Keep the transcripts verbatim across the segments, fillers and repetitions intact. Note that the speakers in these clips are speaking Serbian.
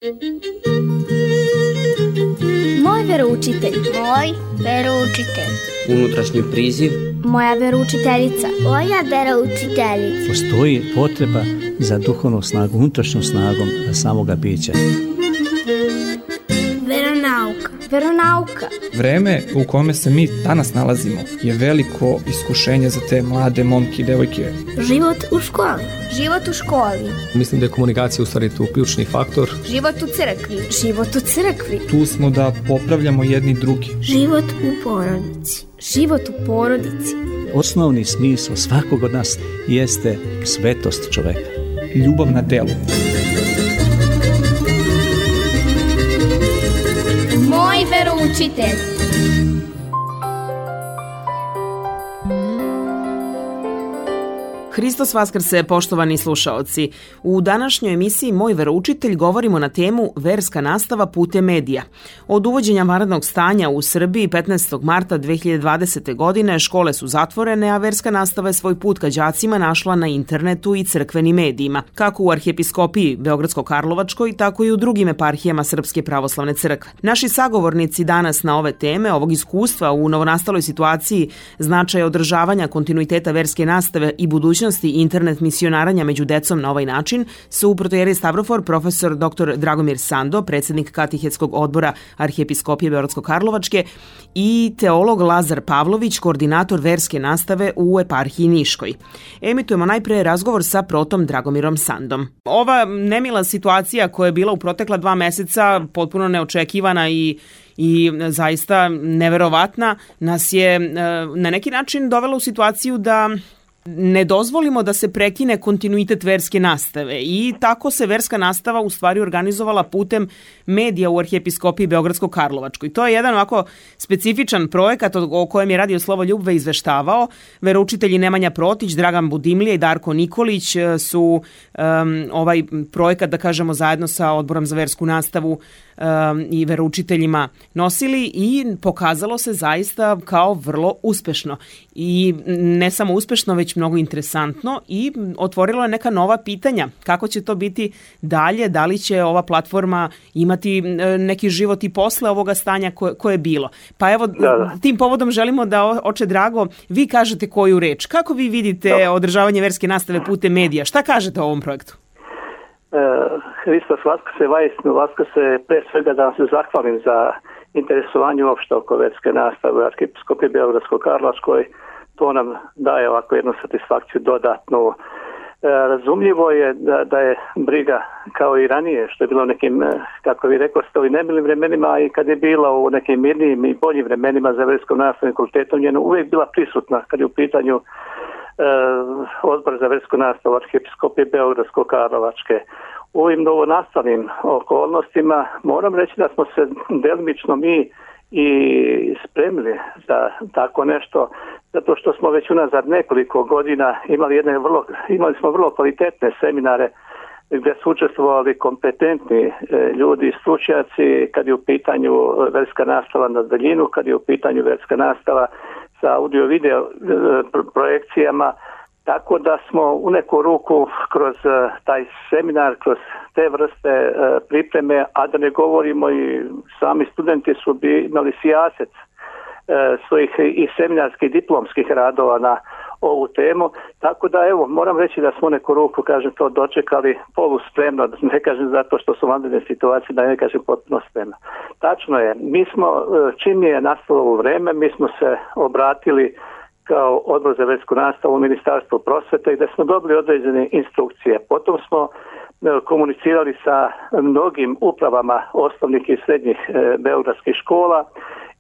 Moj veroučitelj. Moj veroučitelj. Unutrašnji priziv. Moja veroučiteljica. Moja veroučiteljica. Postoji potreba za duhovnom snagom, unutrašnjom snagom samoga bića. Veronauka. Veronauka. Vreme u kome se mi danas nalazimo je veliko iskušenje za te mlade momke i devojke. Život u školi. Život u školi. Mislim da je komunikacija u stvari tu ključni faktor. Život u crkvi. Život u crkvi. Tu smo da popravljamo jedni drugi. Život u porodici. Život u porodici. Osnovni smisao svakog od nas jeste svetost čoveka. Ljubav na delu. Moj veroučitelj. Hristos vaskrse, poštovani slušaoci. U današnjoj emisiji Moj veroučitelj govorimo na temu verska nastava putem medija. Od uvođenja vanrednog stanja u Srbiji petnaestog marta dve hiljade dvadesete. godine škole su zatvorene, a verska nastava je svoj put ka đacima našla na internetu i crkvenim medijima, kako u Arhijepiskopiji Beogradsko-Karlovačkoj, tako i u drugim eparhijama Srpske pravoslavne crkve. Naši sagovornici danas na ove teme, ovog iskustva u novonastaloj situaciji, značaja održavanja kontinuiteta verske nastave i budućnosti internet misionaranja među decom na ovaj način su protoijerej Stavrofor, profesor doktor Dragomir Sando, predsjednik Katehetskog odbora Arhijepiskopije Beogradsko-Karlovačke, i teolog Lazar Pavlović, koordinator verske nastave u eparhiji Niškoj. Emitujemo najpre razgovor sa protom Dragomirom Sandom. Ova nemila situacija koja je bila u protekla dva meseca, potpuno neočekivana i i zaista neverovatna, nas je na neki način dovela u situaciju da ne dozvolimo da se prekine kontinuitet verske nastave i tako se verska nastava u stvari organizovala putem medija u Arhijepiskopiji Beogradsko-Karlovačkoj. To je jedan ovako specifičan projekat o kojem je Radio Slovo Ljubve izveštavao. Veroučitelji Nemanja Protić, Dragan Budimlje i Darko Nikolić su um, ovaj projekat, da kažemo, zajedno sa Odborom za versku nastavu um, i veroučiteljima nosili i pokazalo se zaista kao vrlo uspešno. I ne samo uspešno, već mnogo interesantno i otvorilo je neka nova pitanja. Kako će to biti dalje? Da li će ova platforma imati neki život i posle ovoga stanja koje, koje je bilo? Pa evo, da, da. Tim povodom želimo da, oče Drago, vi kažete koju reč. Kako vi vidite da. održavanje verske nastave putem medija? Šta kažete o ovom projektu? E, Hristos vaskrse, vajstinu vaskrse, pre svega da vam se zahvalim za interesovanje uopšte oko verske nastave u Arhijepiskopiji Beogradsko-Karlovačkoj. To nam daje ovako jednu satisfakciju dodatnu. E, razumljivo je da, da je briga kao i ranije, što je bilo u nekim, kako vi rekao ste, u nemilim vremenima i kad je bila u nekim mirnijim i boljim vremenima za verskom nastavnim fakultetom, njeno uvijek bila prisutna kad je u pitanju e, Odbor za versku nastavu Arhijepiskopije Beogradsko-Karlovačke. U ovim novonastalim okolnostima moram reći da smo se delimično mi i spremili za tako nešto, zato što smo već unazad nekoliko godina imali jedne vrlo, imali smo vrlo kvalitetne seminare gdje su učestvovali kompetentni ljudi i stručnjaci kad je u pitanju verska nastava na daljinu, kad je u pitanju verska nastava sa audio-video projekcijama. Tako da smo u neku ruku kroz taj seminar, kroz te vrste pripreme, a da ne govorimo i sami studenti su bi imali sijaset svojih i seminarskih diplomskih radova na ovu temu. Tako da evo, moram reći da smo u neku ruku, kažem, to dočekali poluspremno, ne kažem zato što su vanredne situacije, da ne kažem potpuno spremno. Tačno je, mi smo, čim je nastalo ovo vreme, mi smo se obratili kao Odbor za versku nastavu u Ministarstvu prosvete gdje smo dobili određene instrukcije. Potom smo komunicirali sa mnogim upravama osnovnih i srednjih beogradskih škola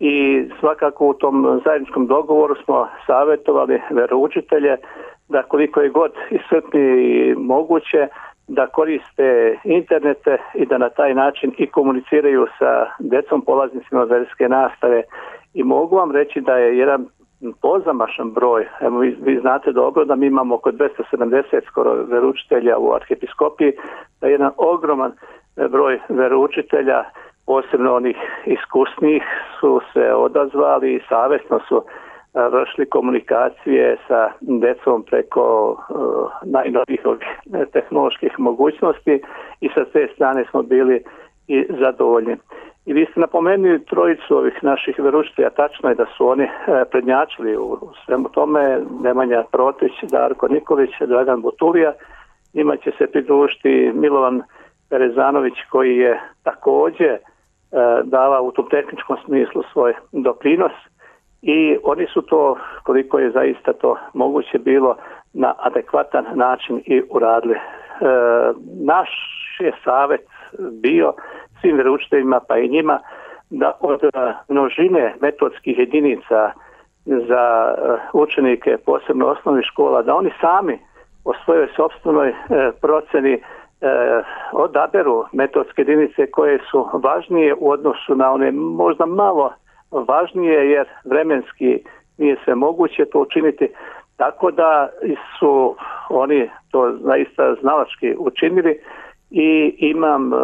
i svakako u tom zajedničkom dogovoru smo savjetovali veroučitelje da koliko je god iscrpnije i moguće da koriste internete i da na taj način i komuniciraju sa decom polaznicima verske nastave. I mogu vam reći da je jedan pozamašan broj, evo vi, vi znate dobro da mi imamo oko dvesta sedamdeset skoro veroučitelja u Arhijepiskopiji, da je jedan ogroman broj veroučitelja, posebno onih iskusnijih, su se odazvali i savjesno su vršili komunikacije sa decom preko uh, najnovijih tehnoloških mogućnosti i sa te strane smo bili i zadovoljni. I vi ste napomenuli trojicu ovih naših veroučitelja, tačno je da su oni prednjačili u svemu tome, Nemanja Protić, Darko Nikolić, Dragan Butulija, njima će se pridružiti Milovan Perezanović koji je također davao u tom tehničkom smislu svoj doprinos i oni su to, koliko je zaista to moguće bilo, na adekvatan način i uradili. E, naš je savjet bio svim veroučiteljima pa i njima da od množine metodskih jedinica za učenike posebno osnovnih škola, da oni sami o svojoj sopstvenoj e, proceni e, odaberu metodske jedinice koje su važnije u odnosu na one možda malo važnije jer vremenski nije sve moguće to učiniti, tako da su oni to zaista znalački učinili i imam e,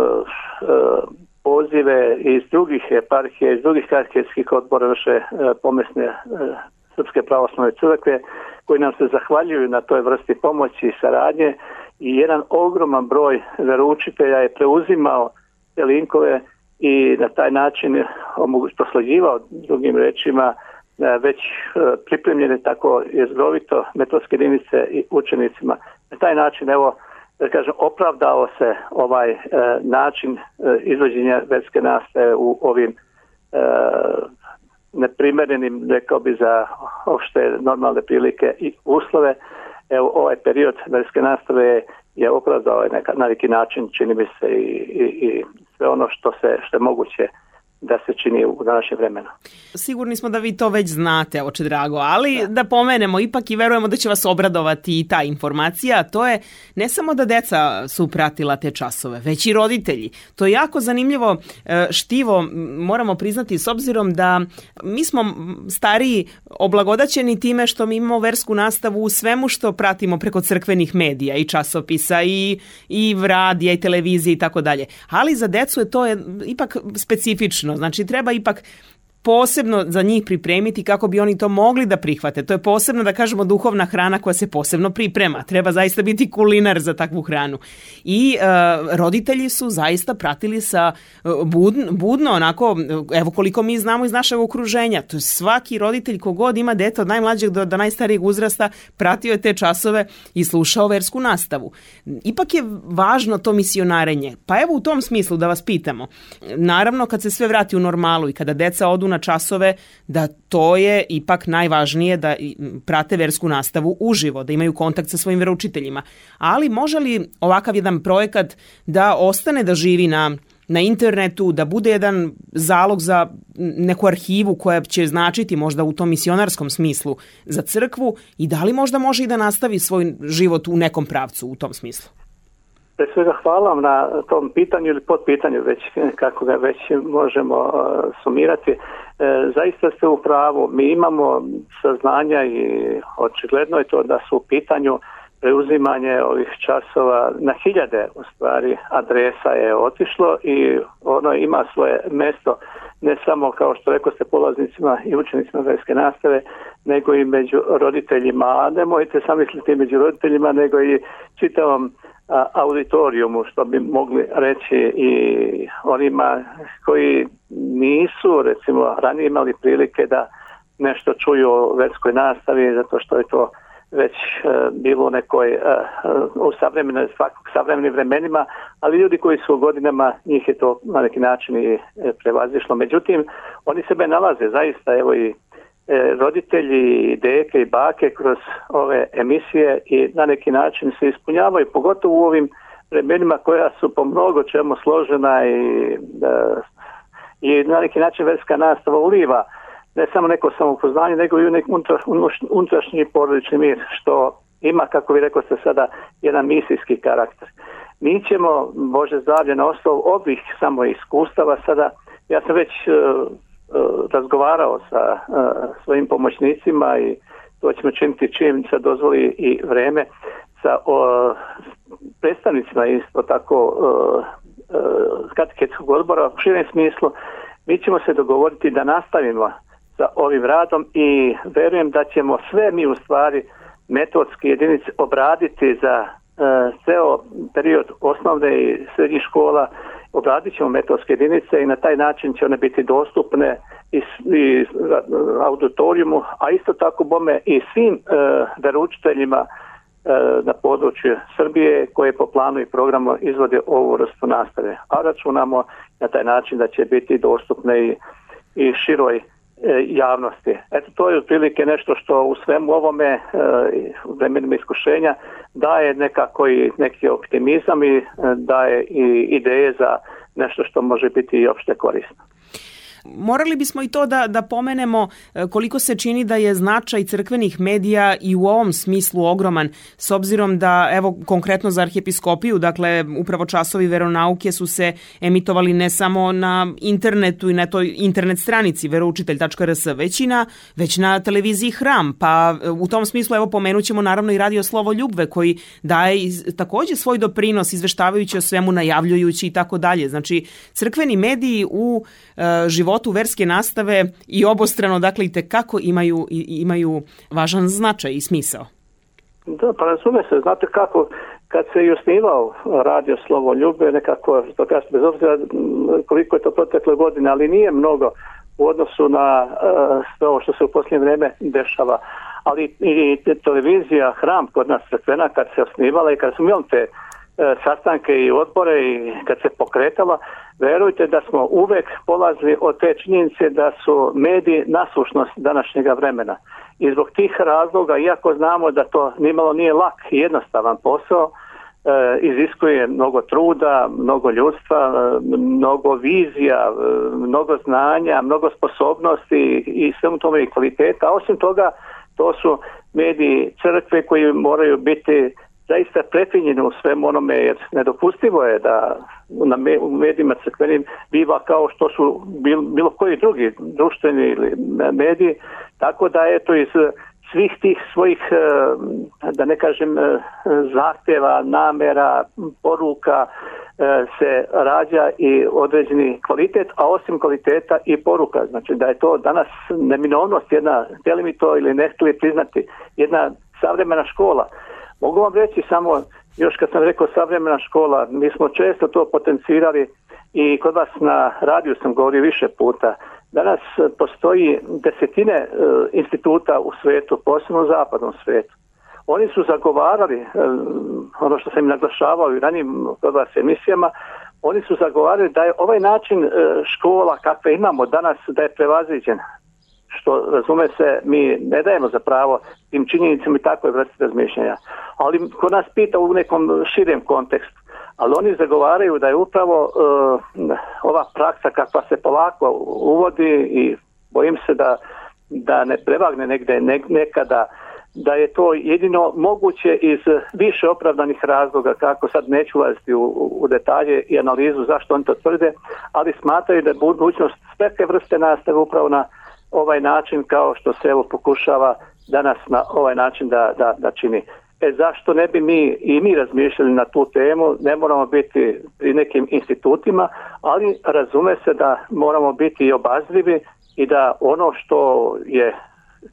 pozive iz drugih eparhija, iz drugih kateheskih odbora naše e, pomesne e, Srpske pravoslavne crkve koji nam se zahvaljuju na toj vrsti pomoći i saradnje i jedan ogroman broj veroučitelja je preuzimao te linkove i na taj način prosleđivao drugim rečima već pripremljene tako jezgrovito metodske jedinice i učenicima. Na taj način, evo, da kažem, opravdao se ovaj e, način e, izvođenja verske nastave u ovim e, neprimerenim, rekao bi, za opšte normalne prilike i uslove. Evo, ovaj period verske nastave je opravdao na neki način, čini mi se, i, i, i sve ono što se što je moguće da se čini u današnjem vremenu. Sigurni smo da vi to već znate, oče drago, ali da, da pomenemo ipak i verujemo da će vas obradovati i ta informacija, to je ne samo da deca su pratila te časove, već i roditelji. To je jako zanimljivo štivo, moramo priznati, s obzirom da mi smo stariji oblagodaćeni time što mi imamo versku nastavu u svemu što pratimo preko crkvenih medija i časopisa i, i radija i televizije i tako dalje. Ali za decu je to je ipak specifično. Znači, treba ipak posebno za njih pripremiti kako bi oni to mogli da prihvate. To je posebno, da kažemo, duhovna hrana koja se posebno priprema. Treba zaista biti kulinar za takvu hranu. I e, roditelji su zaista pratili sa budno, budno onako, evo koliko mi znamo iz našeg okruženja. To je svaki roditelj kogod ima dete od najmlađeg do, do najstarijeg uzrasta pratio je te časove i slušao versku nastavu. Ipak je važno to misionarenje. Pa evo u tom smislu da vas pitamo. Naravno, kad se sve vrati u normalu i kada deca odu na časove, da to je ipak najvažnije da prate versku nastavu uživo, da imaju kontakt sa svojim veroučiteljima. Ali može li ovakav jedan projekat da ostane da živi na, na internetu, da bude jedan zalog za neku arhivu koja će značiti možda u tom misionarskom smislu za crkvu i da li možda može i da nastavi svoj život u nekom pravcu u tom smislu? Pre svega hvala vam na tom pitanju ili podpitanju, već kako ga već možemo uh, sumirati. E, zaista ste u pravu. Mi imamo saznanja i očigledno je to da su u pitanju preuzimanje ovih časova na hiljade u stvari adresa je otišlo i ono ima svoje mesto ne samo kao što rekao ste polaznicima i učenicima verske nastave, nego i među roditeljima. A nemojte sam misliti među roditeljima, nego i čitavom auditorijumu, što bi mogli reći i onima koji nisu recimo ranije imali prilike da nešto čuju o verskoj nastavi, zato što je to već uh, bilo u nekoj uh, u savremenim, savremenim vremenima, ali ljudi koji su u godinama, njih je to na neki način i prevazišlo. Međutim, oni sebe nalaze zaista, evo i roditelji, deke i bake kroz ove emisije i na neki način se ispunjavaju, pogotovo u ovim vremenima koja su po mnogo čemu složena i, da, i na neki način verska nastava uliva ne samo neko samoupoznanje, nego i neki unutrašnji porodični mir, što ima, kako vi rekao ste sada, jedan misijski karakter. Mi ćemo, Bože zdravlje, na osnovu ovih samo iskustava sada, ja sam već razgovarao sa uh, svojim pomoćnicima i to ćemo činiti čim se dozvoli i vreme sa uh, predstavnicima isto tako uh, uh, kateheskog odbora u širem smislu. Mi ćemo se dogovoriti da nastavimo sa ovim radom i verujem da ćemo sve mi u stvari metodske jedinice obraditi za uh, ceo period osnovne i srednjih škola obradit ćemo metodske jedinice i na taj način će one biti dostupne i, i auditorijumu, a isto tako bome i svim e, veroučiteljima e, na području Srbije koje po planu i programu izvode ovu vrstu nastave. A računamo na taj način da će biti dostupne i, i široj e, javnosti. Eto, to je otprilike nešto što u svemu ovome e, vremenima iskušenja daje nekako i neki optimizam i e, daje i ideje za nešto što može biti i opšte korisno. Morali bismo i to da, da pomenemo koliko se čini da je značaj crkvenih medija i u ovom smislu ogroman, s obzirom da, evo, konkretno za arhijepiskopiju, dakle, upravo časovi veronauke su se emitovali ne samo na internetu i na toj internet stranici veroučitelj tačka r s, već i na, već na televiziji Hram, pa u tom smislu, evo, pomenut ćemo naravno i radio Slovo Ljubve, koji daje takođe svoj doprinos izveštavajući o svemu, najavljujući i tako dalje. Znači, crkveni mediji u e, životu verske nastave i obostrano, dakle, i tekako imaju, imaju važan značaj i smisao. Da, pa razume se, znate kako, kad se i osnivao radio Slovo Ljubve, nekako, to kažem, bez obzira koliko je to protekle godine, ali nije mnogo u odnosu na uh, sve ovo što se u posljednje vreme dešava. Ali i televizija Hram kod nas crkvena, kad se osnivala i kad smo imali te uh, sastanke i odbore i kad se pokretala, verujte da smo uvek polazili od te činjenice da su mediji nasušnost današnjega vremena. I zbog tih razloga, iako znamo da to nimalo nije lak i jednostavan posao, e, iziskuje mnogo truda, mnogo ljudstva, e, mnogo vizija, e, mnogo znanja, mnogo sposobnosti i svemu tome i kvaliteta. A osim toga, to su mediji crkve koji moraju biti zaista prefinjeni u svemu onome, jer nedopustivo je da u medijima crkvenim biva kao što su bilo, bilo koji drugi društveni mediji, tako da eto iz svih tih svojih, da ne kažem, zahtjeva, namera, poruka se rađa i određeni kvalitet, a osim kvaliteta i poruka. Znači da je to danas neminovnost, jedna, htjeli mi to ili ne htjeli priznati, jedna savremena škola. Mogu vam reći samo, još kad sam rekao savremena škola, mi smo često to potencirali i kod vas na radiju sam govorio više puta. Danas postoji desetine e, instituta u svijetu, posebno u zapadnom svijetu. Oni su zagovarali, e, ono što sam im naglašavao i ranijim kod vas emisijama, oni su zagovarali da je ovaj način e, škola kakve imamo danas da je prevaziđen. Što, razume se, mi ne dajemo za pravo tim činjenicama i takve vrste razmišljanja. Ali ko nas pita u nekom širem kontekstu, ali oni zagovaraju da je upravo uh, ova praksa kakva se polako uvodi i bojim se da, da ne prevagne negde ne, nekada, da je to jedino moguće iz više opravdanih razloga, kako sad neću ulaziti u, u detalje i analizu zašto oni to tvrde, ali smatraju da je budućnost sveke vrste nastave upravo na ovaj način kao što se evo pokušava danas na ovaj način da, da, da čini. E zašto ne bi mi i mi razmišljali na tu temu, ne moramo biti pri nekim institutima, ali razume se da moramo biti i obazrivi i da ono što je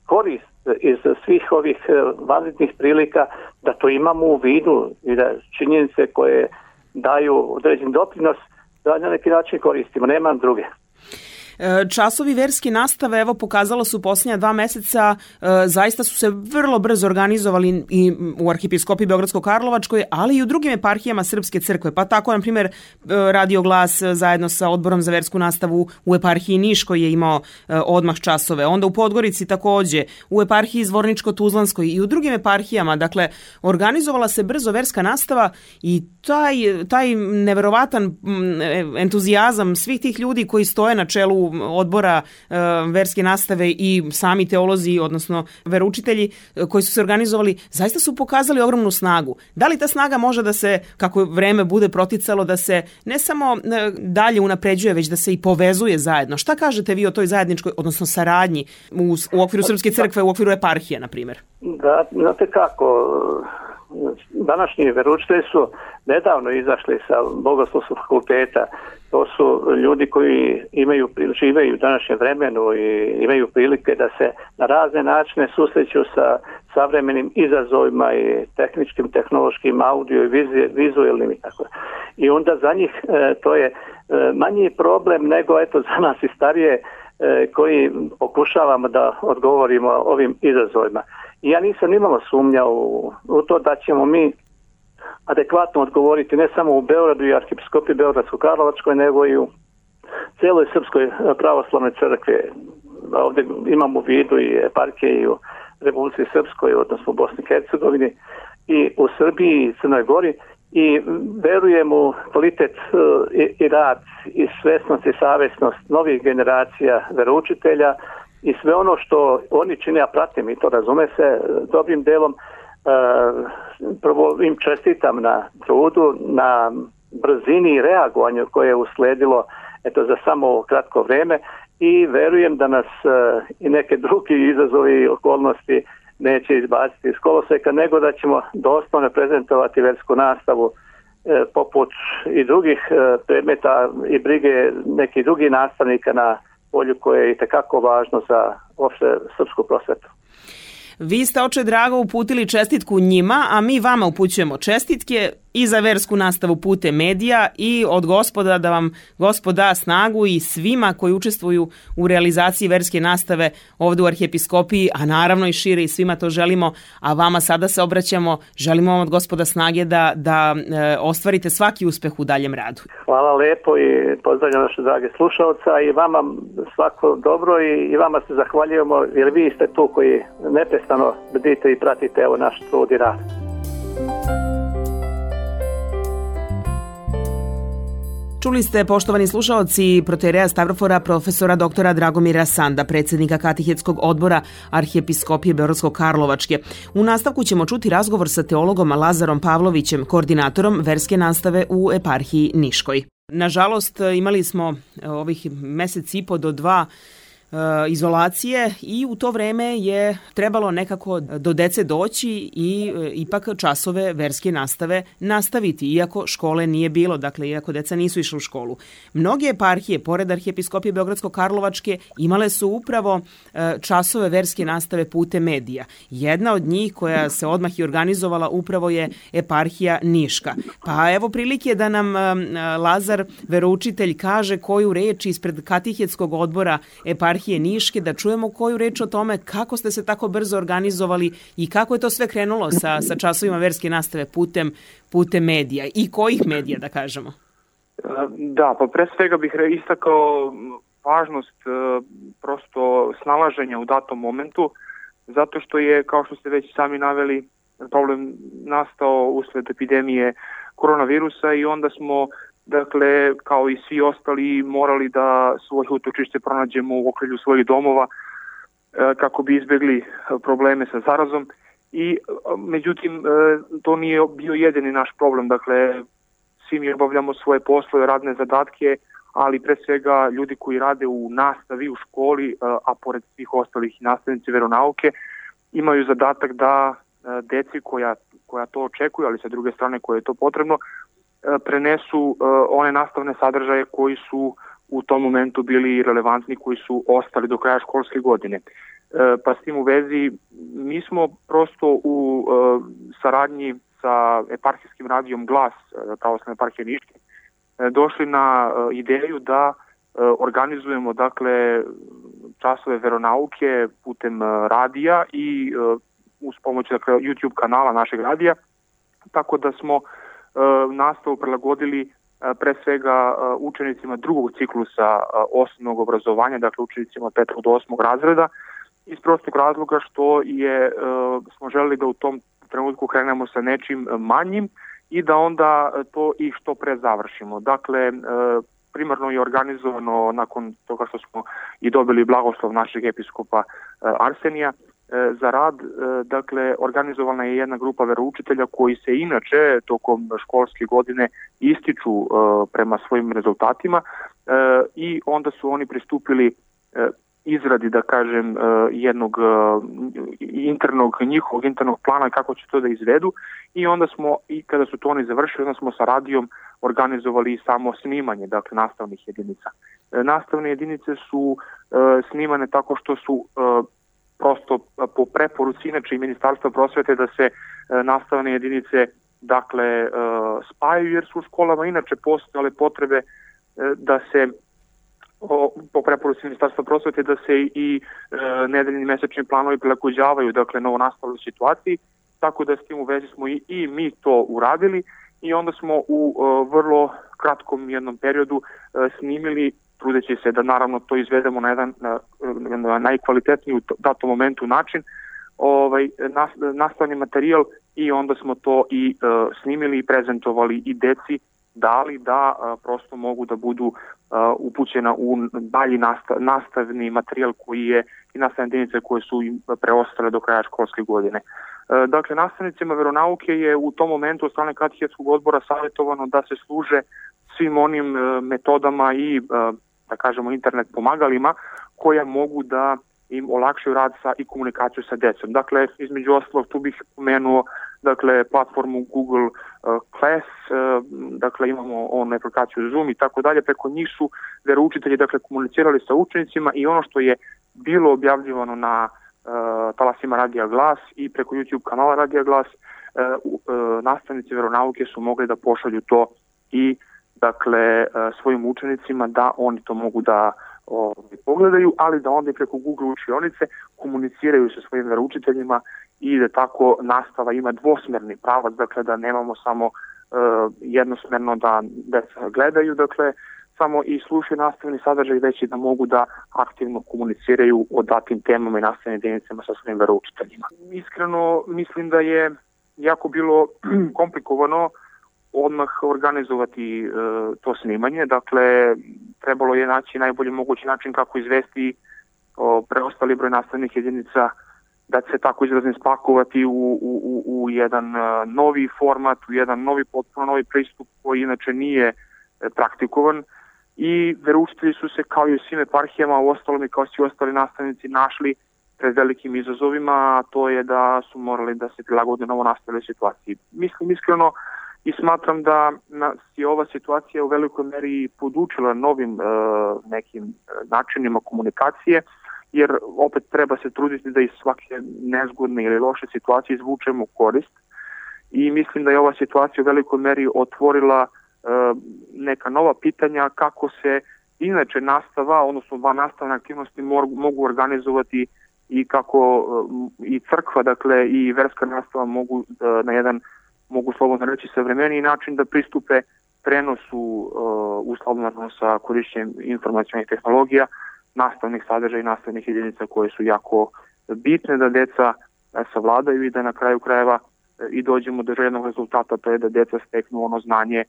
korist iz svih ovih vanrednih prilika, da to imamo u vidu i da činjenice koje daju određen doprinos, da na neki način koristimo, nema druge. Časovi verske nastave, evo, pokazalo su posljednja dva meseca, e, zaista su se vrlo brzo organizovali i u Arhijepiskopiji Beogradsko-Karlovačkoj, ali i u drugim eparhijama Srpske crkve. Pa tako, na primjer, Radio Glas zajedno sa Odborom za versku nastavu u eparhiji Niš koji je imao e, odmah časove. Onda u Podgorici takođe, u eparhiji Zvorničko-Tuzlanskoj i u drugim eparhijama. Dakle, organizovala se brzo verska nastava i taj, taj neverovatan entuzijazam svih tih ljudi koji stoje na čelu odbora e, verske nastave i sami teolozi, odnosno veroučitelji koji su se organizovali, zaista su pokazali ogromnu snagu. Da li ta snaga može da se, kako vreme bude proticalo, da se ne samo dalje unapređuje, već da se i povezuje zajedno? Šta kažete vi o toj zajedničkoj, odnosno saradnji u, u okviru Srpske crkve, u okviru eparhije, na primjer? Da, znate kako, današnji veroučitelji su nedavno izašli sa Bogoslovskog fakulteta. To su ljudi koji imaju, žive u današnjem vremenu i imaju prilike da se na razne načine susreću sa savremenim izazovima i tehničkim, tehnološkim, audio i vizualnim i tako. I onda za njih e, to je e, manji problem nego eto za nas i starije e, koji pokušavamo da odgovorimo ovim izazovima. I ja nisam nimalo sumnja u, u to da ćemo mi adekvatno odgovoriti ne samo u Beogradu i Arhijepiskopiji Beogradsko-Karlovačkoj, nego i u cijeloj Srpskoj pravoslavnoj crkvi. Ovdje imamo u vidu i eparhije i u Republici Srpskoj, odnosno u Bosni i Hercegovini, i u Srbiji i Crnoj Gori, i verujem u kvalitet i, i rad i svesnost i savjesnost novih generacija veroučitelja i sve ono što oni čine, ja pratim i to razume se dobrim delom. Prvo im čestitam na trudu, na brzini i reagovanju koje je usledilo eto, za samo kratko vreme i verujem da nas i neke drugi izazovi i okolnosti neće izbaciti iz koloseka, nego da ćemo dostojno prezentovati versku nastavu e, poput i drugih e, predmeta i brige nekih drugih nastavnika na polju koje je itekako važno za uopšte srpsku prosvetu. Vi ste, oče drago, uputili čestitku njima, a mi vama upućujemo čestitke i za versku nastavu putem medija i od Gospoda da vam Gospod da snagu i svima koji učestvuju u realizaciji verske nastave ovdje u Arhijepiskopiji, a naravno i šire i svima to želimo, a vama sada se obraćamo, želimo vam od Gospoda snage da, da e, ostvarite svaki uspeh u daljem radu. Hvala lepo i pozdravljam naše drage slušalca i vama svako dobro i, i vama se zahvaljujemo jer vi ste tu koji neprestano bdite i pratite evo naš trud i rad. Čuli ste, poštovani slušaoci, protereja Stavrofora profesora doktora Dragomira Sanda, predsjednika Katehetskog odbora Arhijepiskopije Beogradsko-Karlovačke. U nastavku ćemo čuti razgovor sa teologom Lazarom Pavlovićem, koordinatorom verske nastave u eparhiji Niškoj. Nažalost, imali smo ovih mjesec i po do dva izolacije i u to vreme je trebalo nekako do dece doći i e, ipak časove verske nastave nastaviti, iako škole nije bilo, dakle iako deca nisu išli u školu. Mnoge eparhije, pored Arhijepiskopije Beogradsko-Karlovačke, imale su upravo e, časove verske nastave putem medija. Jedna od njih koja se odmah i organizovala upravo je eparhija Niška. Pa evo prilike da nam e, Lazar, veroučitelj, kaže koju reč ispred Katehetskog odbora eparhije Niške, da čujemo koju reč o tome kako ste se tako brzo organizovali i kako je to sve krenulo sa, sa časovima verske nastave putem, putem medija i kojih medija, da kažemo. Da, pa pre svega bih istakao važnost prosto snalaženja u datom momentu, zato što je, kao što ste već sami naveli, problem nastao usled epidemije koronavirusa i onda smo, dakle, kao i svi ostali, morali da svoje utočište pronađemo u okrilju svojih domova kako bi izbjegli probleme sa zarazom. I međutim, to nije bio jedini naš problem. Dakle, svi mi obavljamo svoje poslove, radne zadatke, ali pre svega ljudi koji rade u nastavi, u školi, a pored svih ostalih nastavnici veronauke, imaju zadatak da deci koja, koja to očekuju, ali sa druge strane koje je to potrebno, prenesu uh, one nastavne sadržaje koji su u tom momentu bili relevantni, koji su ostali do kraja školske godine. Uh, pa s tim u vezi mi smo prosto u uh, saradnji sa eparhijskim radijom Glas, uh, pravoslavne eparhije Niške, uh, došli na uh, ideju da uh, organizujemo, dakle, časove veronauke putem uh, radija i uh, uz pomoć, dakle, YouTube kanala našeg radija, tako da smo nastavu prilagodili pre svega učenicima drugog ciklusa osnovnog obrazovanja, dakle učenicima petog do osmog razreda, iz prostog razloga što je, smo želeli da u tom trenutku krenemo sa nečim manjim i da onda to i što pre završimo. Dakle, primarno je organizovano nakon toga što smo i dobili blagoslov našeg episkopa Arsenija za rad, dakle, organizovana je jedna grupa veroučitelja koji se inače tokom školske godine ističu prema svojim rezultatima i onda su oni pristupili izradi, da kažem, jednog internog, njihovog internog plana kako će to da izvedu i onda smo, i kada su to oni završili, onda smo sa radijom organizovali samo snimanje, dakle, nastavnih jedinica. Nastavne jedinice su snimane tako što su prosto po preporuci inače i Ministarstva prosvete da se nastavne jedinice, dakle, spajaju, jer su u školama inače postojale potrebe da se po preporuci Ministarstva prosvete da se i e, nedeljni mesečni planovi prilagođavaju, dakle, novonastaloj situaciji, tako da s tim u vezi smo i, i mi to uradili i onda smo u e, vrlo kratkom jednom periodu e, snimili, trudeći se da naravno to izvedemo na jedan na, na najkvalitetniji u datom momentu način, ovaj, nas, nastavni materijal i onda smo to i e, snimili i prezentovali i deci, dali da a, prosto mogu da budu a, upućena u dalji nastav, nastavni materijal koji je i nastavne jedinice koje su im preostale do kraja školske godine. E, dakle, nastavnicima veronauke je u tom momentu od strane katehetskog odbora savjetovano da se služe svim onim e, metodama i, e, da kažemo, internet pomagalima koja mogu da im olakšaju rad sa i komunikaciju sa decom. Dakle, između ostalog, tu bih pomenuo, dakle, platformu Google uh, Class, uh, dakle, imamo onu aplikaciju Zoom i tako dalje, preko njih su veroučitelji, dakle, komunicirali sa učenicima i ono što je bilo objavljivano na uh, talasima Radija Glas i preko YouTube kanala Radija Glas, uh, uh, nastavnici veronauke su mogli da pošalju to i, dakle, uh, svojim učenicima da oni to mogu da Ovdje pogledaju, ali da onda i preko Google učionice komuniciraju sa svojim veroučiteljima i da tako nastava ima dvosmerni pravac, dakle da nemamo samo uh, jednosmerno da deca gledaju, dakle samo i slušaju nastavni sadržaj, već i da mogu da aktivno komuniciraju o datim temama i nastavnim jedinicama sa svojim veroučiteljima. Iskreno mislim da je jako bilo komplikovano odmah organizovati e, to snimanje, dakle trebalo je naći najbolji mogući način kako izvesti o, preostali broj nastavnih jedinica, da se tako izrazim spakovati u, u, u jedan a, novi format, u jedan novi, potpuno novi pristup koji inače nije e, praktikovan i veroučitelji su se kao i u svim eparhijama, u ostalom i kao svi ostali nastavnici našli pred velikim izazovima, a to je da su morali da se prilagode novo nastaloj situaciji. Mislim iskreno i smatram da nas je ova situacija u velikoj meri podučila novim e, nekim načinima komunikacije, jer opet treba se truditi da iz svake nezgodne ili loše situacije izvučemo korist i mislim da je ova situacija u velikoj meri otvorila e, neka nova pitanja kako se inače nastava, odnosno van nastavne aktivnosti mogu organizovati i kako e, i crkva, dakle i verska nastava mogu e, na jedan mogu slobodno reći savremeniji način da pristupe prenosu uh, uslovno sa korišćenjem informacionalnih tehnologija, nastavnih sadržaja i nastavnih jedinica koje su jako bitne da deca savladaju i da na kraju krajeva i dođemo do željenog rezultata, to je da deca steknu ono znanje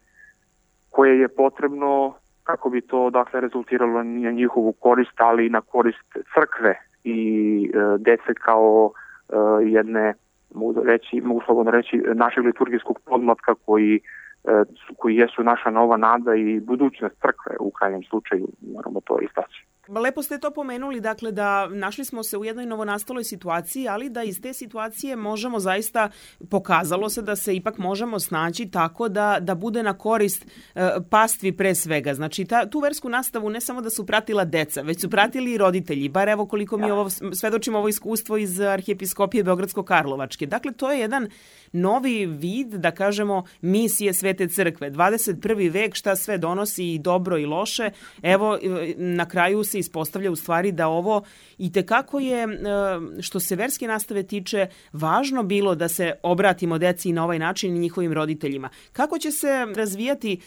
koje je potrebno kako bi to, dakle, rezultiralo na njihovu korist, ali i na korist crkve i uh, dece kao uh, jedne mogu reći, mogu slobodno reći, našeg liturgijskog podmlatka koji, koji jesu naša nova nada i budućnost crkve u krajnjem slučaju, moramo to istaći. Lepo ste to pomenuli, dakle da našli smo se u jednoj novonastaloj situaciji, ali da iz te situacije možemo zaista, pokazalo se da se ipak možemo snaći tako da, da bude na korist e, pastvi pre svega. Znači ta, tu versku nastavu ne samo da su pratila deca, već su pratili i roditelji, bar evo koliko mi ovo, svedočimo ovo iskustvo iz Arhijepiskopije Beogradsko-Karlovačke. Dakle, to je jedan novi vid, da kažemo, misije Svete crkve. dvadeset prvi vek, šta sve donosi i dobro i loše. Evo, na kraju se ispostavlja u stvari da ovo i tekako je, što se verske nastave tiče, važno bilo da se obratimo deci na ovaj način i njihovim roditeljima. Kako će se razvijati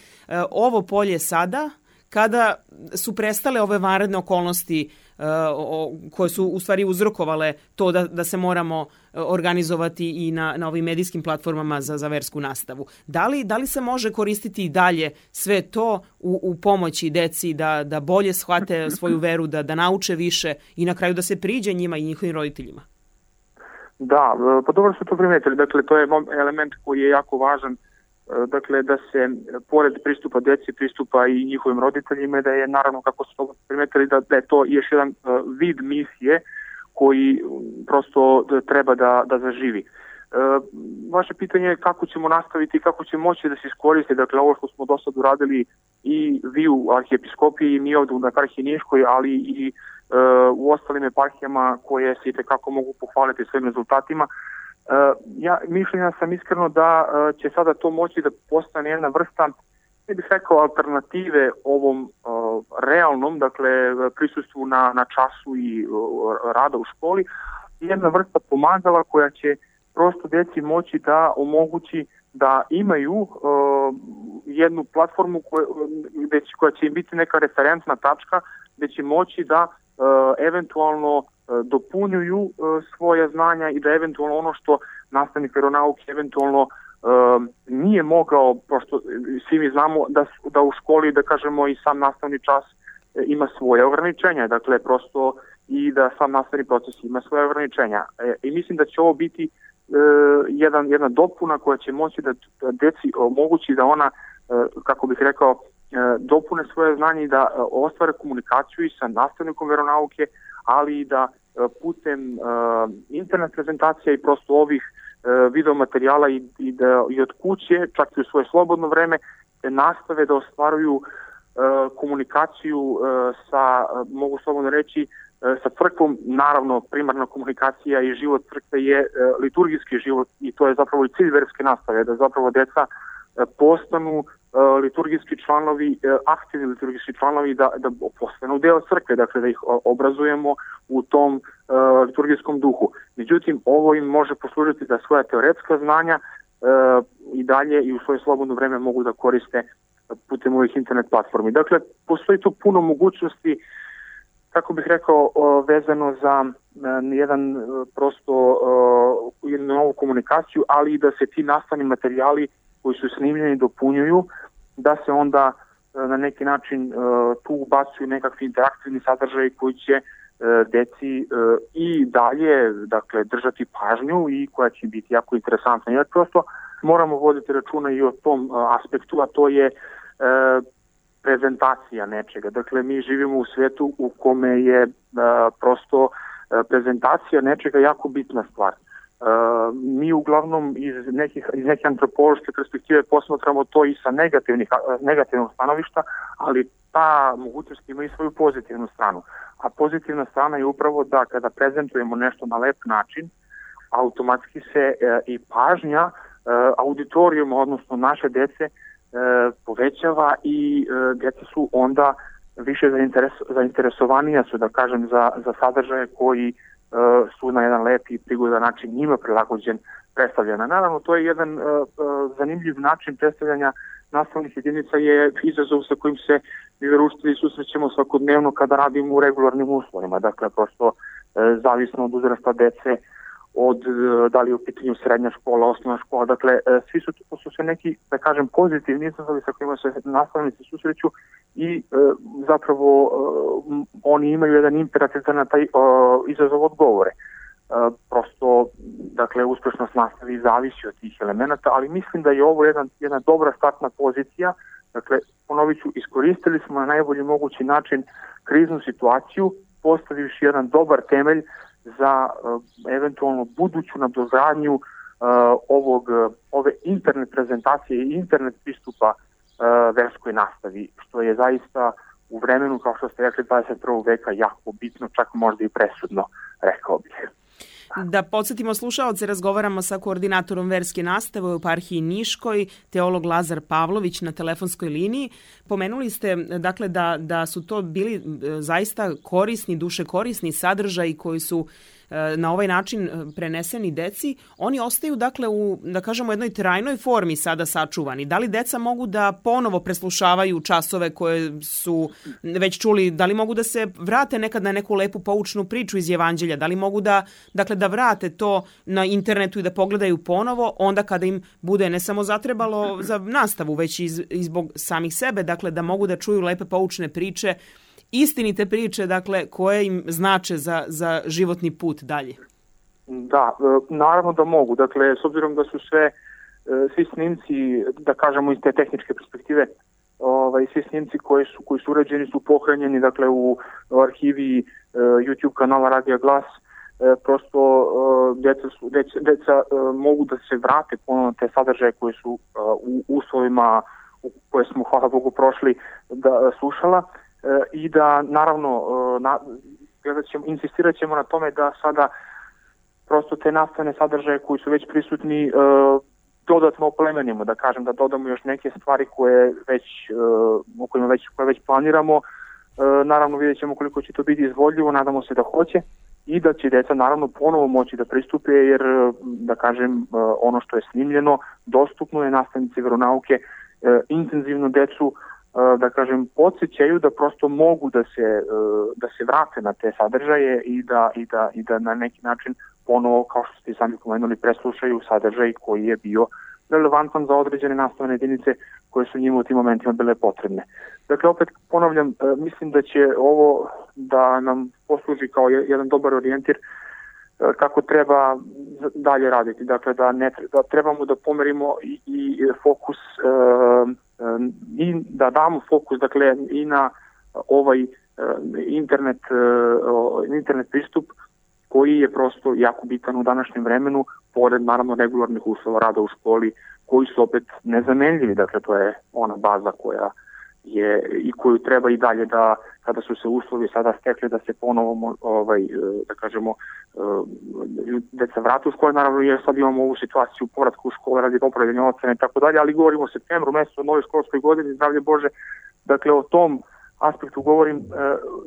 ovo polje sada, kada su prestale ove vanredne okolnosti uh, o, koje su u stvari uzrokovale to da, da se moramo organizovati i na, na ovim medijskim platformama za, za versku nastavu. Da li, da li se može koristiti i dalje sve to u, u pomoći deci da, da bolje shvate svoju veru, da, da nauče više i na kraju da se priđe njima i njihovim roditeljima? Da, pa dobro su to primetili. Dakle, to je element koji je jako važan dakle da se pored pristupa deci pristupa i njihovim roditeljima, da je naravno, kako ste primetili, da, da je to još jedan vid misije koji prosto treba da, da zaživi. Vaše pitanje je kako ćemo nastaviti i kako će moći da se iskoristi, dakle ovo što smo do sad uradili i vi u arhijepiskopiji i mi ovdje u eparhiji Niškoj, ali i uh, u ostalim eparhijama koje se itekako mogu pohvaliti svojim rezultatima. Uh, ja mišljenja sam iskreno da uh, će sada to moći da postane jedna vrsta, ne bih rekao, alternative ovom uh, realnom, dakle prisustvu na, na času i uh, rada u školi, jedna vrsta pomagala koja će prosto deci moći da omogući da imaju uh, jednu platformu koja, gde će, koja će im biti neka referentna tačka, gde će moći da uh, eventualno uh, dopunjuju uh, svoje znanja i da eventualno ono što nastavnik veronauke eventualno uh, nije mogao, pošto svi mi znamo da, da u školi, da kažemo, i sam nastavni čas uh, ima svoje ograničenja, dakle prosto i da sam nastavni proces ima svoje ograničenja. E, I mislim da će ovo biti Uh, jedan, jedna dopuna koja će moći da, da deci omogući da ona, uh, kako bih rekao, uh, dopune svoje znanje i da uh, ostvare komunikaciju i sa nastavnikom veronauke, ali i da uh, putem uh, internet prezentacija i prosto ovih uh, video materijala i, i, da, i od kuće, čak i u svoje slobodno vreme, nastave da ostvaruju uh, komunikaciju uh, sa, uh, mogu slobodno reći, sa crkvom. Naravno, primarna komunikacija i život crkve je e, liturgijski život i to je zapravo i cilj verske nastave, da zapravo deca e, postanu e, liturgijski članovi, e, aktivni liturgijski članovi, da, da postanu deo crkve, dakle da ih obrazujemo u tom e, liturgijskom duhu. Međutim, ovo im može poslužiti da svoja teoretska znanja e, i dalje i u svoje slobodno vreme mogu da koriste putem ovih internet platformi. Dakle, postoji tu puno mogućnosti, kako bih rekao, vezano za jedan prosto jednu novu komunikaciju, ali i da se ti nastavni materijali koji su snimljeni dopunjuju, da se onda na neki način tu ubacuju nekakvi interaktivni sadržaj koji će deci i dalje, dakle, držati pažnju i koja će biti jako interesantna. Jer prosto moramo voditi računa i o tom aspektu, a to je prezentacija nečega. Dakle, mi živimo u svetu u kome je a, prosto a, prezentacija nečega jako bitna stvar. A, mi uglavnom iz, nekih, iz neke antropološke perspektive posmatramo to i sa negativnih, a, negativnog stanovišta, ali ta mogućnost ima i svoju pozitivnu stranu. A pozitivna strana je upravo da kada prezentujemo nešto na lep način, automatski se a, i pažnja a, auditorijuma, odnosno naše dece, E, povećava i e, djeca su onda više zainteres, zainteresovanija su, da kažem, za, za sadržaje koji e, su na jedan lep i prigodan način njima prilagođen predstavljena. Naravno, to je jedan e, e, zanimljiv način predstavljanja nastavnih jedinica, je izazov sa kojim se mi veroučitelji susrećemo svakodnevno kada radimo u regularnim uslovima. Dakle, prosto e, zavisno od uzrasta dece, od da li je u pitanju srednja škola, osnovna škola, dakle svi su to su sve neki, da kažem, pozitivni izazovi sa kojima se nastavnici susreću i e, zapravo e, oni imaju jedan imperativ da na taj e, izazov odgovore. E, prosto, dakle, uspešnost nastavi zavisi od tih elemenata, ali mislim da je ovo jedan, jedna dobra startna pozicija. Dakle, ponovit ću, iskoristili smo na najbolji mogući način kriznu situaciju, postavivši jedan dobar temelj za uh, eventualno buduću nadogradnju uh, ovog, uh, ove internet prezentacije i internet pristupa uh, verskoj nastavi, što je zaista u vremenu, kao što ste rekli, dvadeset prvog veka jako bitno, čak možda i presudno, rekao bih. Da podsjetimo slušaoce, razgovaramo sa koordinatorom verske nastave u eparhiji Niškoj, teolog Lazar Pavlović na telefonskoj liniji. Pomenuli ste, dakle, da, da su to bili zaista korisni, duše korisni sadržaji koji su na ovaj način preneseni deci. Oni ostaju, dakle, u, da kažemo, jednoj trajnoj formi sada sačuvani. Da li deca mogu da ponovo preslušavaju časove koje su već čuli? Da li mogu da se vrate nekad na neku lepu poučnu priču iz Evanđelja? Da li mogu da, dakle, da vrate to na internetu i da pogledaju ponovo onda kada im bude ne samo zatrebalo za nastavu, već i, i zbog samih sebe, dakle, da mogu da čuju lepe poučne priče, istinite priče, dakle, koje im znače za, za životni put dalje? Da, naravno da mogu. Dakle, s obzirom da su sve svi snimci, da kažemo iz te tehničke perspektive, ovaj, svi snimci koji su, koji su urađeni su pohranjeni, dakle, u, u arhivi YouTube kanala Radija Glas. Prosto deca, su, deca, deca mogu da se vrate ponovno te sadržaje koje su u uslovima u koje smo, hvala Bogu, prošli da slušala i da, naravno, na, ćemo, insistirat ćemo na tome da sada prosto te nastavne sadržaje koji su već prisutni dodatno oplemenimo, da kažem, da dodamo još neke stvari koje već, o kojima već, koje već planiramo. Naravno, vidjet ćemo koliko će to biti izvodljivo, nadamo se da hoće i da će deca naravno ponovo moći da pristupe, jer, da kažem, ono što je snimljeno dostupno je, nastavnici veronauke intenzivno decu, da kažem, podsjećaju da prosto mogu da se, da se vrate na te sadržaje i da, i da, i da na neki način ponovo, kao što ste sami pomenuli, preslušaju sadržaj koji je bio relevantan za određene nastavne jedinice koje su njima u tim momentima bile potrebne. Dakle, opet ponavljam, mislim da će ovo da nam posluži kao jedan dobar orijentir kako treba dalje raditi. Dakle, da, ne, da trebamo da pomerimo i, i fokus i da damo fokus, dakle, i na ovaj internet, internet pristup koji je prosto jako bitan u današnjem vremenu, pored naravno regularnih uslova rada u školi, koji su opet nezamenljivi. Dakle, to je ona baza koja je i koju treba i dalje da, kada su se uslovi sada stekli, da se ponovo, ovaj, da kažemo, deca vrate u škole, naravno, jer sad imamo ovu situaciju povratka u škole radi popravljanja ocena i tako dalje, ali govorimo o septembru, mesecu, o novoj školskoj godini, zdravlje Bože. Dakle, o tom aspektu govorim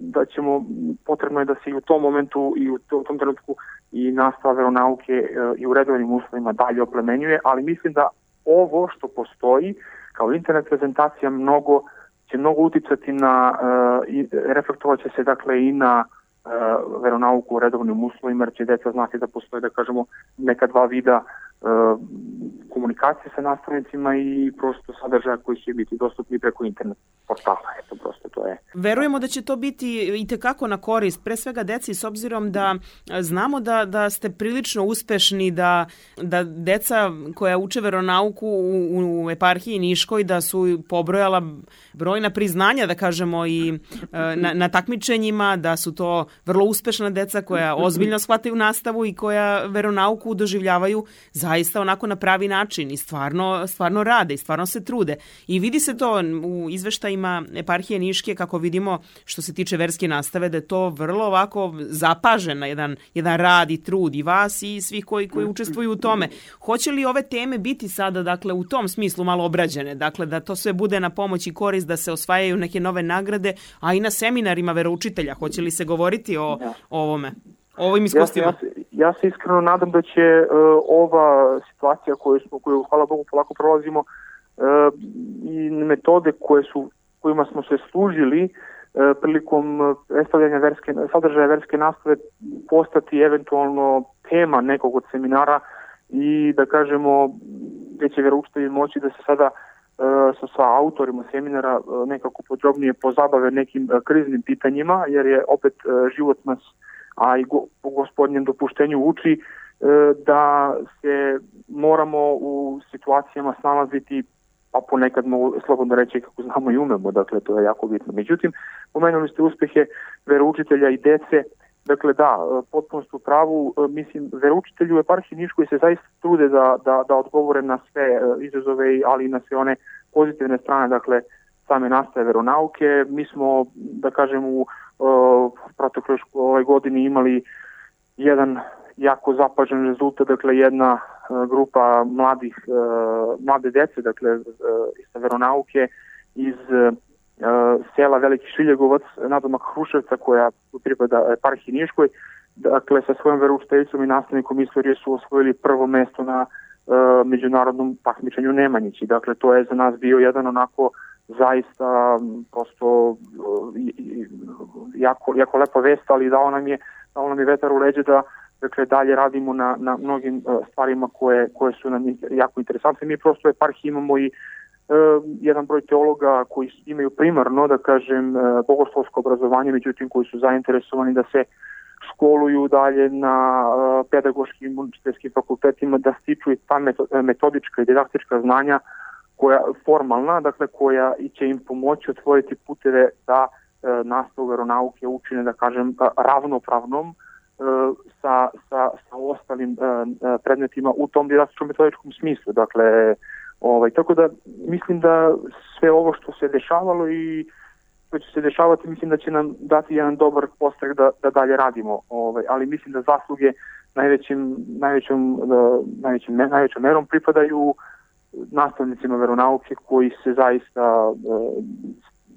da ćemo, potrebno je da se i u tom momentu i u tom trenutku i nastava veronauke i u redovnim uslovima dalje oplemenjuje, ali mislim da ovo što postoji kao internet prezentacija mnogo će mnogo uticati na, i reflektovat će se, dakle, i na veronauku u redovnim uslovima, jer će deca znati da postoje, da kažemo, neka dva vida komunikacije sa nastavnicima i prosto sadržaja koji će biti dostupni preko internet portala. Eto, prosto to je. Verujemo da će to biti i tekako na korist, pre svega deci, s obzirom da znamo da, da ste prilično uspešni, da, da deca koja uče veronauku u, u eparhiji Niškoj, da su pobrojala brojna priznanja, da kažemo, i na, na takmičenjima, da su to vrlo uspešna deca koja ozbiljno shvataju nastavu i koja veronauku doživljavaju zaista onako na pravi način i stvarno, stvarno rade i stvarno se trude. I vidi se to u izveštajima eparhije Niške, kako vidimo, što se tiče verske nastave, da je to vrlo ovako zapažen jedan, jedan rad i trud i vas i svih koji, koji učestvuju u tome. Hoće li ove teme biti sada, dakle, u tom smislu malo obrađene? Dakle, da to sve bude na pomoć i korist, da se osvajaju neke nove nagrade, a i na seminarima veroučitelja. Hoće li se govoriti o, o ovome? O ovim iskustvima? Ja, ja, ja se iskreno nadam da će uh, ova situacija koju smo, koju, hvala Bogu, polako prolazimo, uh, i metode koje su, kojima smo se služili uh, prilikom predstavljanja verske, sadržaja verske nastave postati eventualno tema nekog od seminara i, da kažemo, gde će veroučitelji moći da se sada uh, sa, sa autorima seminara uh, nekako podrobnije pozabave nekim uh, kriznim pitanjima, jer je opet uh, život nas, a i go, po gospodnjem dopuštenju uči e, da se moramo u situacijama snalaziti, pa ponekad mogu slobodno reći kako znamo i umemo, dakle to je jako bitno. Međutim, pomenuli ste uspehe veroučitelja i dece, dakle da, potpuno ste u pravu, mislim, veroučitelji u eparhiji Niškoj se zaista trude da, da, da odgovore na sve izazove, ali i na sve one pozitivne strane, dakle, same nastave veronauke. Mi smo, da kažem, u protekloj ovoj godini imali jedan jako zapažen rezultat, dakle jedna grupa mladih, mlade dece, dakle iz veronauke iz sela Veliki Šiljegovac, nadomak Hruševca, koja pripada eparhiji Niškoj, dakle sa svojom veroučiteljicom i nastavnikom istorije su osvojili prvo mesto na međunarodnom takmičenju Nemanjići. Dakle, to je za nas bio jedan onako zaista prosto jako, jako lepa vest, ali dao nam je, dao nam je vetar u leđe da, dakle, dalje radimo na, na mnogim stvarima koje, koje su nam jako interesantne. Mi prosto u eparhiji imamo i uh, jedan broj teologa koji imaju primarno, da kažem, uh, bogoslovsko obrazovanje, međutim koji su zainteresovani da se školuju dalje na uh, pedagoškim učiteljskim fakultetima, da stiču i ta metodička i didaktička znanja koja formalna, dakle koja i će im pomoći otvoriti puteve da uh, nastavu veronauke učine, da kažem, uh, ravnopravnom uh, sa, sa, sa ostalim uh, predmetima u tom didaktičkom metodičkom smislu. Dakle, ovaj, tako da mislim da sve ovo što se dešavalo i što će se dešavati, mislim da će nam dati jedan dobar postrek da, da dalje radimo. Ovaj, ali mislim da zasluge najvećim, najvećom, najvećim, najvećom merom pripadaju nastavnicima veronauke koji se zaista uh,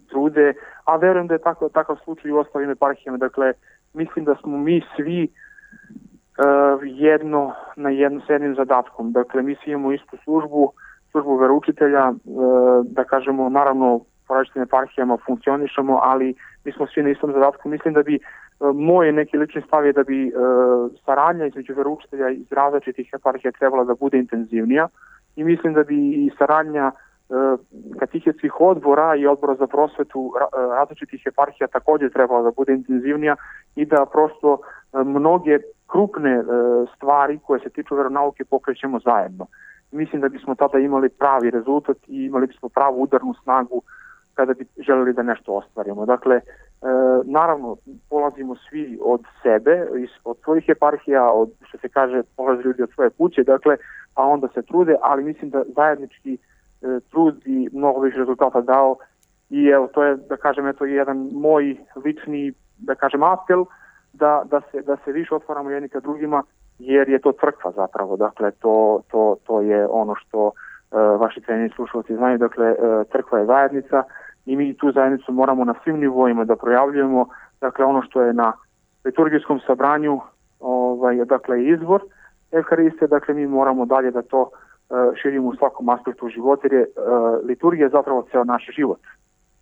trude, a verujem da je tako, takav slučaj u ostalim eparhijama. Dakle, mislim da smo mi svi uh, jedno na jedno s jednim zadatkom. Dakle, mi svi imamo istu službu, službu veroučitelja, uh, da kažemo, naravno, po različitim eparhijama funkcionišemo, ali mi smo svi na istom zadatku. Mislim da bi uh, moj neki lični stav je da bi uh, saradnja između veroučitelja iz različitih eparhija trebala da bude intenzivnija i mislim da bi i saradnja uh, katehetskih odbora i odbora za prosvetu uh, različitih eparhija također trebala da bude intenzivnija i da prosto uh, mnoge krupne uh, stvari koje se tiču veronauke pokrećemo zajedno. Mislim da bismo tada imali pravi rezultat i imali bismo pravu udarnu snagu kada bi želeli da nešto ostvarimo. Dakle, e, naravno, polazimo svi od sebe, od svojih eparhija, od, što se kaže, polaze ljudi od svoje kuće, dakle, pa onda se trude, ali mislim da zajednički e, trud bi mnogo više rezultata dao i evo, to je, da kažem, eto, jedan moj lični, da kažem, apel da, da, se, da se više otvaramo jedni ka drugima, jer je to crkva zapravo, dakle, to, to, to je ono što uh, vaši treneri slušalci znaju, dakle, uh, crkva je zajednica i mi tu zajednicu moramo na svim nivoima da projavljujemo, dakle, ono što je na liturgijskom sabranju, ovaj, dakle, izvor Evhariste, dakle, mi moramo dalje da to uh, širimo u svakom aspektu života, jer je uh, liturgija zapravo ceo naš život,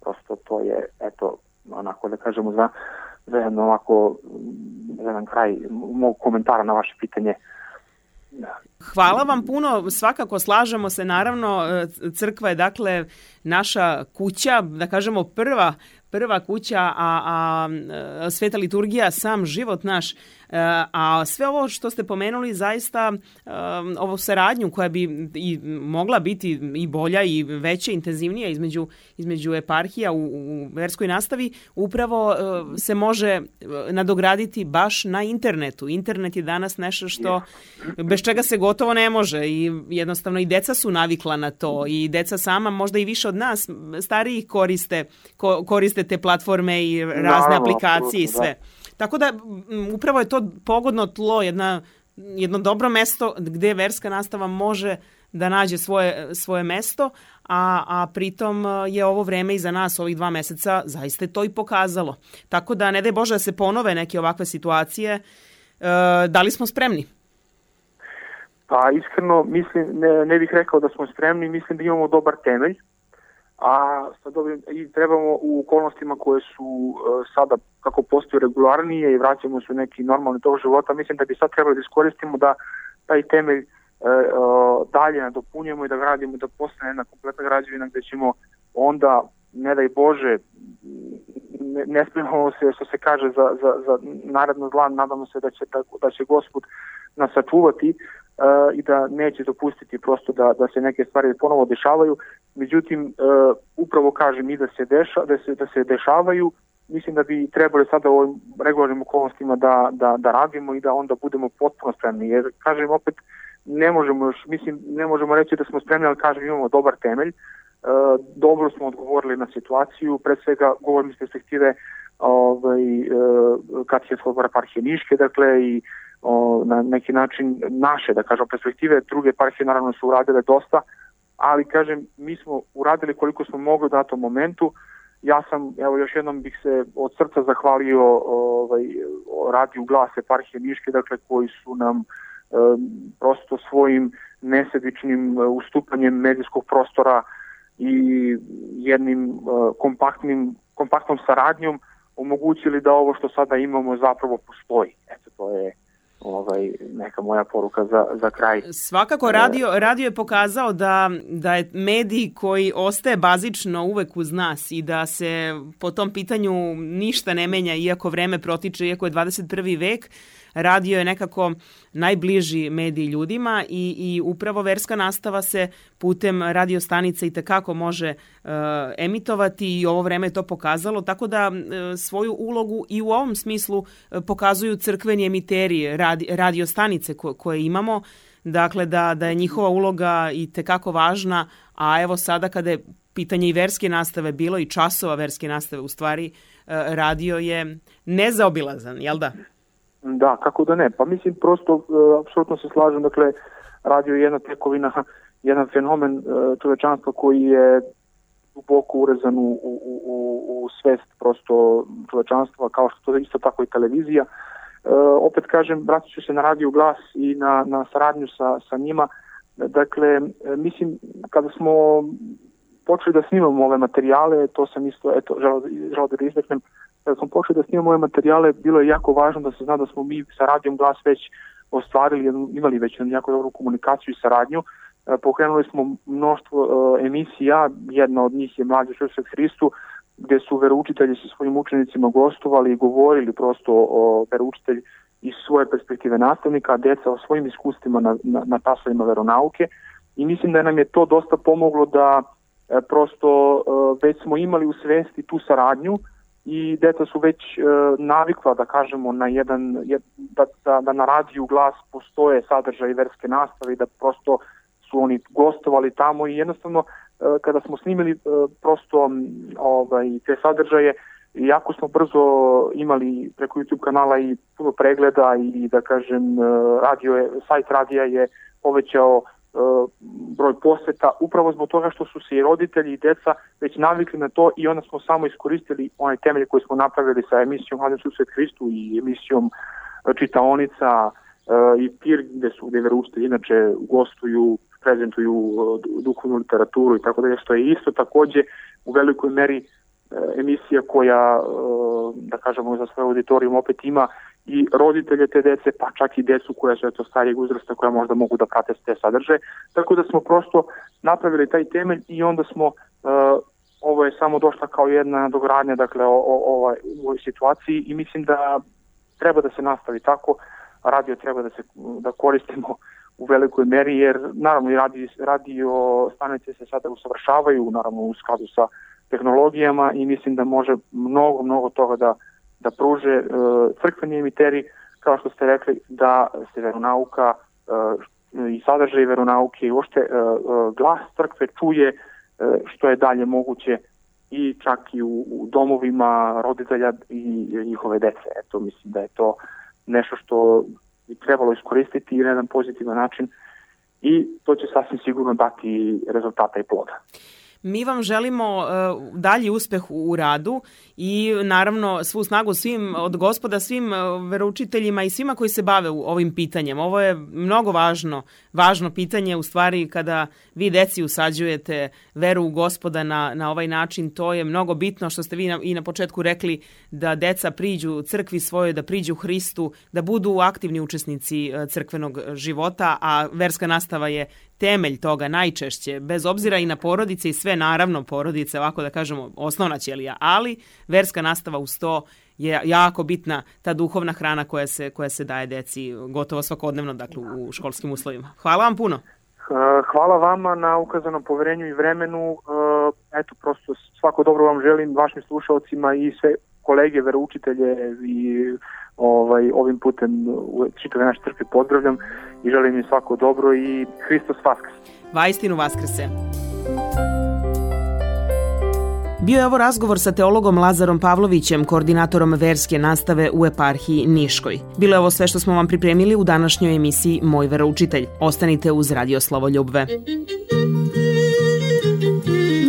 prosto to je, eto, onako da kažemo, za za jedan ovako, za jedan kraj mog komentara na vaše pitanje. Hvala vam puno, svakako slažemo se, naravno, crkva je dakle naša kuća, da kažemo prva, prva kuća, a, a, a sveta liturgija sam život naš, a sve ovo što ste pomenuli zaista ovo saradnju koja bi i mogla biti i bolja i veća, intenzivnija između, između eparhija u, u verskoj nastavi upravo se može nadograditi baš na internetu. Internet je danas nešto što bez čega se gotovo ne može i jednostavno i deca su navikla na to i deca sama možda i više od nas starijih koriste, ko, koriste te platforme i razne Naravno, aplikacije i sve. Da. Tako da upravo je to pogodno tlo, jedna, jedno dobro mesto gdje verska nastava može da nađe svoje, svoje mesto, a, a pritom je ovo vreme iza nas, ovih dva meseca, zaista je to i pokazalo. Tako da ne daj Bože da se ponove neke ovakve situacije. E, da li smo spremni? Pa iskreno mislim, ne, ne bih rekao da smo spremni, mislim da imamo dobar temelj, a sad ovim, i trebamo u okolnostima koje su uh, sada kako postoje regularnije i vraćamo se u neki normalni tog života, mislim da bi sad trebali da iskoristimo da taj temelj uh, uh, dalje nadopunjujemo i da gradimo, da postane jedna kompletna građevina gde ćemo onda, ne daj Bože, ne, ne spremamo se, što se kaže, za, za, za naredno zla, nadamo se da će, da, da će Gospod nas sačuvati uh, i da neće dopustiti prosto da, da se neke stvari ponovo dešavaju. Međutim, uh, upravo kažem i da se, deša, da, se, da se dešavaju, mislim da bi trebali sada u ovim regularnim okolnostima da, da, da radimo i da onda budemo potpuno spremni. Jer, kažem, opet ne možemo još, mislim, ne možemo reći da smo spremni, ali kažem, imamo dobar temelj. Uh, dobro smo odgovorili na situaciju, pred svega govorim iz perspektive ovaj, uh, Katehetskog odbora eparhije Niške, dakle, i o, na neki način naše, da kažem, perspektive. Druge eparhije naravno su uradile dosta, ali kažem, mi smo uradili koliko smo mogli u datom momentu. Ja sam, evo još jednom bih se od srca zahvalio ovaj, radiju Glas eparhije Niške, dakle, koji su nam e, prosto svojim nesebičnim ustupanjem medijskog prostora i jednim e, kompaktnim, kompaktnom saradnjom omogućili da ovo što sada imamo zapravo postoji. Eto, to je ovaj, neka moja poruka za, za kraj. Svakako radio, radio je pokazao da, da je medij koji ostaje bazično uvek uz nas i da se po tom pitanju ništa ne menja iako vreme protiče, iako je dvadeset prvi vek. Radio je nekako najbliži medij ljudima i, i upravo verska nastava se putem radio stanica i tekako može e, emitovati i ovo vreme je to pokazalo, tako da e, svoju ulogu i u ovom smislu e, pokazuju crkveni emiteri radi, radio stanice ko, koje imamo, dakle da, da je njihova uloga i tekako važna, a evo sada kada je pitanje i verske nastave bilo i časova verske nastave, u stvari e, radio je nezaobilazan, jel da? Da, kako da ne. Pa mislim, prosto, uh, apsolutno se slažem, dakle, radio je jedna tekovina, jedan fenomen uh, čovečanstva koji je duboko urezan u, u, u, u svest prosto čovečanstva, kao što je isto tako i televizija. Uh, opet kažem, vratit ću se na Radio Glas i na, na saradnju sa, sa njima. Dakle, mislim, kada smo počeli da snimamo ove materijale, to sam isto, eto, želeo, želeo da izreknem, kada smo počeli da snimamo ove materijale, bilo je jako važno da se zna da smo mi sa Radijom Glas već ostvarili, imali već jako dobru komunikaciju i saradnju. Pokrenuli smo mnoštvo uh, emisija, jedna od njih je Mlađi Svet Hristu, gde su veroučitelji sa svojim učenicima gostovali i govorili prosto o veroučitelji iz svoje perspektive nastavnika, a deca o svojim iskustvima na, na, na časovima veronauke. I mislim da nam je to dosta pomoglo da e, prosto e, već smo imali u svesti tu saradnju i deca su već e, navikla, da kažemo, na jedan, jed, da, da, da na Radiju Glas postoje sadržaj verske nastave i da prosto su oni gostovali tamo i jednostavno e, kada smo snimili e, prosto ovaj, te sadržaje, jako smo brzo imali preko YouTube kanala i puno pregleda i da kažem radio je, sajt radija je povećao uh, broj poseta upravo zbog toga što su se i roditelji i deca već navikli na to i onda smo samo iskoristili onaj temelj koji smo napravili sa emisijom Mlađi Svet Hristu i emisijom Čitaonica uh, i Pir gde su gde veroučitelji inače gostuju, prezentuju uh, duhovnu literaturu i tako dalje, što je isto takođe u velikoj meri emisija koja, da kažemo, za svoj auditorijum opet ima i roditelje te dece, pa čak i decu koja su eto starijeg uzrasta koja možda mogu da prate te sadržaje. Tako da smo prosto napravili taj temelj i onda smo, uh, ovo je samo došla kao jedna dogradnja, dakle, o, o, o ovoj situaciji i mislim da treba da se nastavi tako, radio treba da se da koristimo u velikoj meri, jer naravno i radio, radio stanice se sada usavršavaju, naravno u skladu sa tehnologijama i mislim da može mnogo, mnogo toga da, da pruže e, crkveni emiteri, kao što ste rekli, da se veronauka e, i sadržaj veronauke i uopšte e, glas crkve čuje e, što je dalje moguće i čak i u, u domovima roditelja i njihove dece. Eto, mislim da je to nešto što bi trebalo iskoristiti na jedan pozitivan način i to će sasvim sigurno dati rezultata i ploda. Mi vam želimo uh, dalji uspeh u radu i naravno svu snagu svim od Gospoda, svim uh, veroučiteljima i svima koji se bave u ovim pitanjem. Ovo je mnogo važno, važno pitanje u stvari kada vi deci usađujete veru u Gospoda na, na ovaj način. To je mnogo bitno što ste vi na, i na početku rekli da deca priđu crkvi svojoj, da priđu Hristu, da budu aktivni učesnici uh, crkvenog života, a verska nastava je temelj toga najčešće, bez obzira i na porodice i sve, naravno porodice, ovako da kažemo, osnovna ćelija, ali verska nastava uz to je jako bitna, ta duhovna hrana koja se, koja se daje deci gotovo svakodnevno, dakle, u školskim uslovima. Hvala vam puno. Hvala vama na ukazanom poverenju i vremenu. Eto, prosto svako dobro vam želim, vašim slušalcima i sve kolege, veroučitelje i ovaj, ovim putem čitave naše crkve pozdravljam i želim im svako dobro i Hristos Vaskrs. Vaistinu Vaskrse. Bio je ovo razgovor sa teologom Lazarom Pavlovićem, koordinatorom verske nastave u eparhiji Niškoj. Bilo je ovo sve što smo vam pripremili u današnjoj emisiji Moj veroučitelj. Ostanite uz Radio Slavoljubve.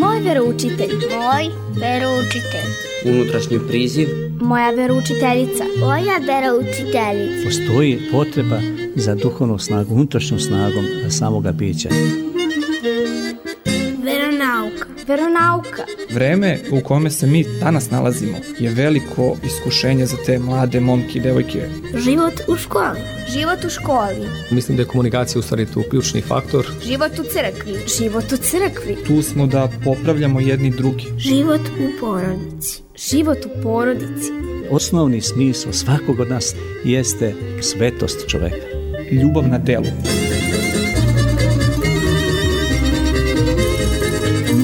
Moj veroučitelj. Moj veroučitelj. Unutrašnji priziv. Moja veroučiteljica. Moja veroučiteljica. Postoji potreba za duhovnu snagu, unutrašnjom snagom samoga bića. Veronauka. Veronauka. Vreme u kome se mi danas nalazimo je veliko iskušenje za te mlade momke i devojke. Život u školi. Život u školi. Mislim da je komunikacija u stvari tu ključni faktor. Život u crkvi. Život u crkvi. Tu smo da popravljamo jedni drugi. Život u porodici. Život u porodici. Osnovni smisao svakog od nas jeste svetost čoveka. Ljubav na delu.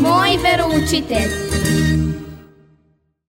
Moj veroučitelj.